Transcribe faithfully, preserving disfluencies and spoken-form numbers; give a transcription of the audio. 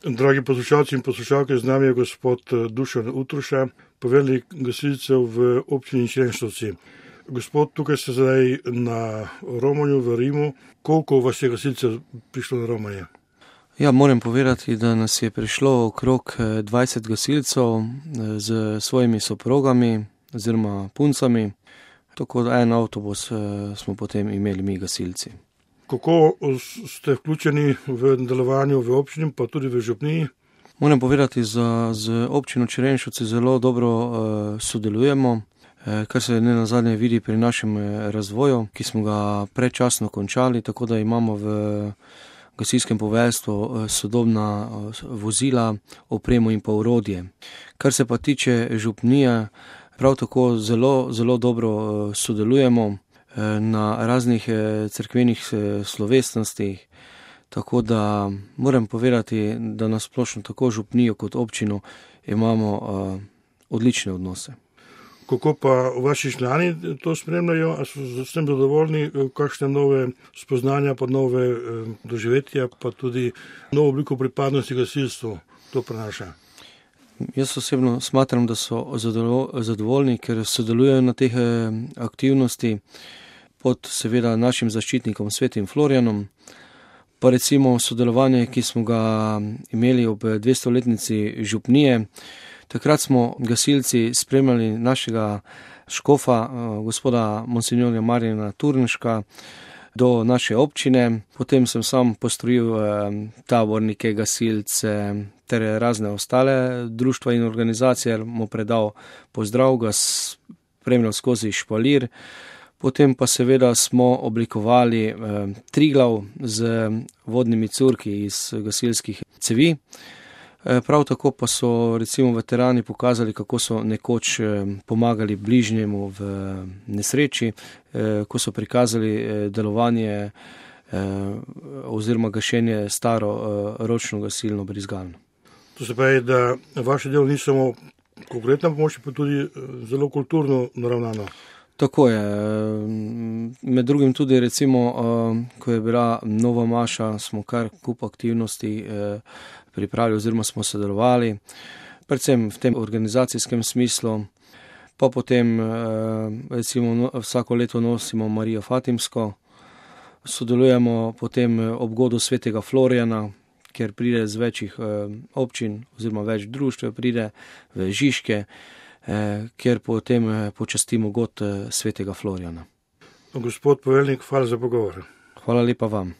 Dragi poslušalci in poslušalke, z nami je gospod Dušan Utruša, poveljnik gasilcev v občini Črenšovci. Gospod, tukaj ste zdaj na romanju v Rimu. Koliko vas je gasilcev prišlo na romanje? Ja, moram povedati, da nas je prišlo okrog dvajset gasilcev z svojimi soprogami oziroma puncami. Tako da en avtobus smo potem imeli mi gasilci. Kako ste vključeni v delovanju v občini, pa tudi v župniji? Moram povedati, da z občino Črenšovci zelo dobro uh, sodelujemo, uh, kar se ne nazadnje vidi pri našem razvoju, ki smo ga predčasno končali, tako da imamo v gasilskem poveljstvu sodobna vozila, opremo in pa orodje. Kar se pa tiče župnije, prav tako zelo, zelo dobro sodelujemo na raznih cerkvenih slovesnostih, tako da moram povedati, da na splošno tako župnijo kot občino imamo uh, odlične odnose. Kako pa vaši člani to spremljajo? A so s tem zadovoljni? Kakšne nove spoznanja, pa nove eh, doživetja, pa tudi novo obliko pripadnosti gasilstvu to prenaša? Jaz osebno smatram, da so zadovoljni, ker sodelujejo na teh aktivnosti pod seveda našim zaščitnikom Svetim Florjanom. Pa recimo sodelovanje, ki smo ga imeli ob dvestoletnici župnije. Takrat smo gasilci spremljali našega škofa, gospoda monsinjorja Marjana Turnška, do naše občine. Potem sem sam postrojil tabornike, gasilce ter razne ostale društva in organizacije, mu predal pozdrav, ga spremljal skozi špalir. Potem pa seveda smo oblikovali eh, Triglav z vodnimi curki iz gasilskih cevi. Eh, prav tako pa so recimo veterani pokazali, kako so nekoč eh, pomagali bližnjemu v nesreči, eh, ko so prikazali eh, delovanje eh, oziroma gašenje staro eh, ročno gasilno brizgalno. To se pravi, da vaše delo ni samo konkretna pomoč, pa tudi zelo kulturno naravnano. Tako je. Med drugim tudi recimo, ko je bila nova maša, smo kar kup aktivnosti pripravili oziroma smo sodelovali, predvsem v tem organizacijskem smislu. Pa potem recimo vsako leto nosimo Marijo Fatimsko, sodelujemo potem ob godu Svetega Florjana, kjer pride z večjih občin oziroma več društv, pride v Žižke, kjer potem počastimo god Svetega Florjana. Gospod poveljnik, hvala za pogovor. Hvala lepa vam.